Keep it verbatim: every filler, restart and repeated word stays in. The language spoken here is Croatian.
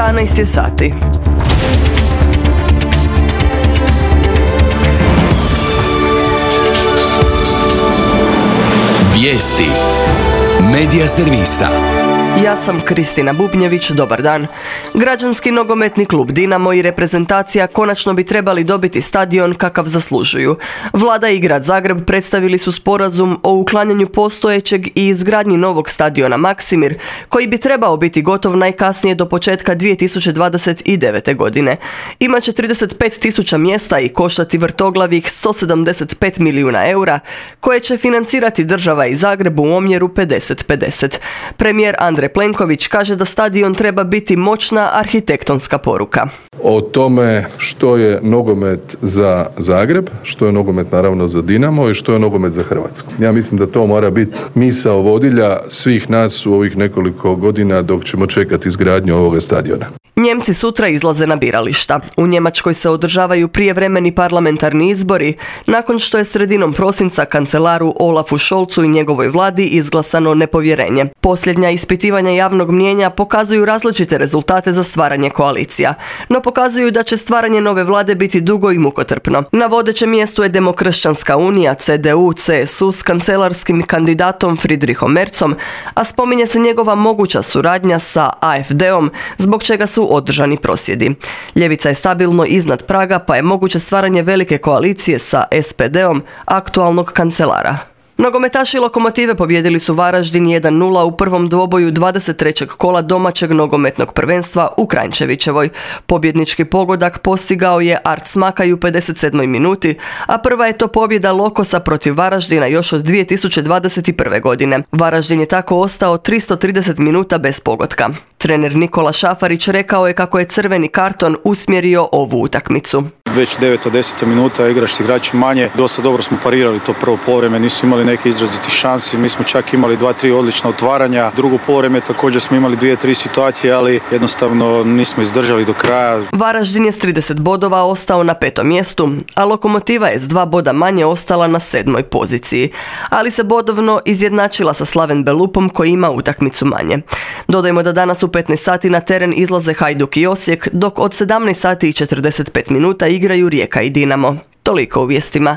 jedanaest je sati. Vijesti Medija servisa. Ja sam Kristina Bubnjević, dobar dan. Građanski nogometni klub Dinamo i reprezentacija konačno bi trebali dobiti stadion kakav zaslužuju. Vlada i grad Zagreb predstavili su sporazum o uklanjanju postojećeg i izgradnji novog stadiona Maksimir, koji bi trebao biti gotov najkasnije do početka dvije tisuće dvadeset devete. godine. Imaće trideset pet tisuća mjesta i koštati vrtoglavih sto sedamdeset pet milijuna eura, koje će financirati država i Zagreb u omjeru pedeset pedeset. Premijer Andrej Plenković kaže da stadion treba biti moćna arhitektonska poruka. O tome što je nogomet za Zagreb, što je nogomet naravno za Dinamo i što je nogomet za Hrvatsku. Ja mislim da to mora biti misao vodilja svih nas u ovih nekoliko godina dok ćemo čekati izgradnju ovoga stadiona. Njemci sutra izlaze na birališta. U Njemačkoj se održavaju prijevremeni parlamentarni izbori nakon što je sredinom prosinca kancelaru Olafu Scholzu i njegovoj vladi izglasano nepovjerenje. Posljednja ispitivanja javnog mnijenja pokazuju različite rezultate za stvaranje koalicija, no pokazuju da će stvaranje nove vlade biti dugo i mukotrpno. Na vodećem mjestu je Demokršćanska unija, C D U C S U s kancelarskim kandidatom Friedrichom Merzom, a spominje se njegova moguća suradnja sa A F D-om, zbog čega su održani prosvjedi. Ljevica je stabilno iznad praga, pa je moguće stvaranje velike koalicije sa S P D-om aktualnog kancelara. Nogometaši Lokomotive pobijedili su Varaždin jedan nula u prvom dvoboju dvadeset trećeg kola domaćeg nogometnog prvenstva u Kranjčevićevoj. Pobjednički pogodak postigao je Art Smakaj u pedeset sedmoj minuti, a prva je to pobjeda Lokosa protiv Varaždina još od dvije tisuće dvadeset prve. godine. Varaždin je tako ostao tristo trideset minuta bez pogotka. Trener Nikola Šafarić rekao je kako je crveni karton usmjerio ovu utakmicu. Već deveto deseto minuta igraš s igrači manje. Dosta dobro smo parirali to prvo poluvreme, nisu imali neke izraziti šansi. Mi smo čak imali dva, tri odlična otvaranja. Drugo poluvreme također smo imali dvije, tri situacije, ali jednostavno nismo izdržali do kraja. Varaždin je s trideset bodova ostao na petom mjestu, a Lokomotiva je s dva boda manje ostala na sedmoj poziciji. Ali se bodovno izjednačila sa Slaven Belupom koji ima utakmicu manje. Dodajmo da danas u petnaest sati na teren izlaze Hajduk i Osijek, dok od sedamnaest sati i četrdeset pet minuta igraju Rijeka i Dinamo. Toliko u vijestima.